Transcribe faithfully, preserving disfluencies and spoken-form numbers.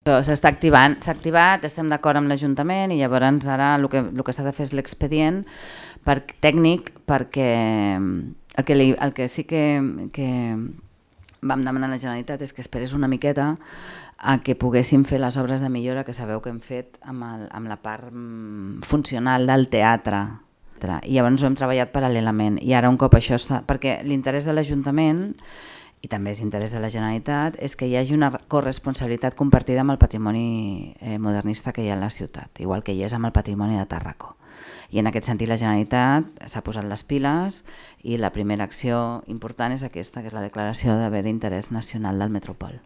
S'està activant, s'ha activat, estem d'acord amb l'Ajuntament i llavors ara el que, el que s'ha de fer és l'expedient per, tècnic perquè el que, li, el que sí que, que vam demanar a la Generalitat és que esperés una miqueta a que poguéssim fer les obres de millora que sabeu que hem fet amb, el, amb la part funcional del teatre. I llavors ho hem treballat paral·lelament i ara un cop això està... Perquè l'interès de l'Ajuntament i també és interès de la Generalitat, és que hi hagi una corresponsabilitat compartida amb el patrimoni eh, modernista que hi ha a la ciutat, igual que hi és amb el patrimoni de Tàrraco. I en aquest sentit la Generalitat s'ha posat les piles i la primera acció important és aquesta, que és la declaració d'haver d'interès nacional del Metropol.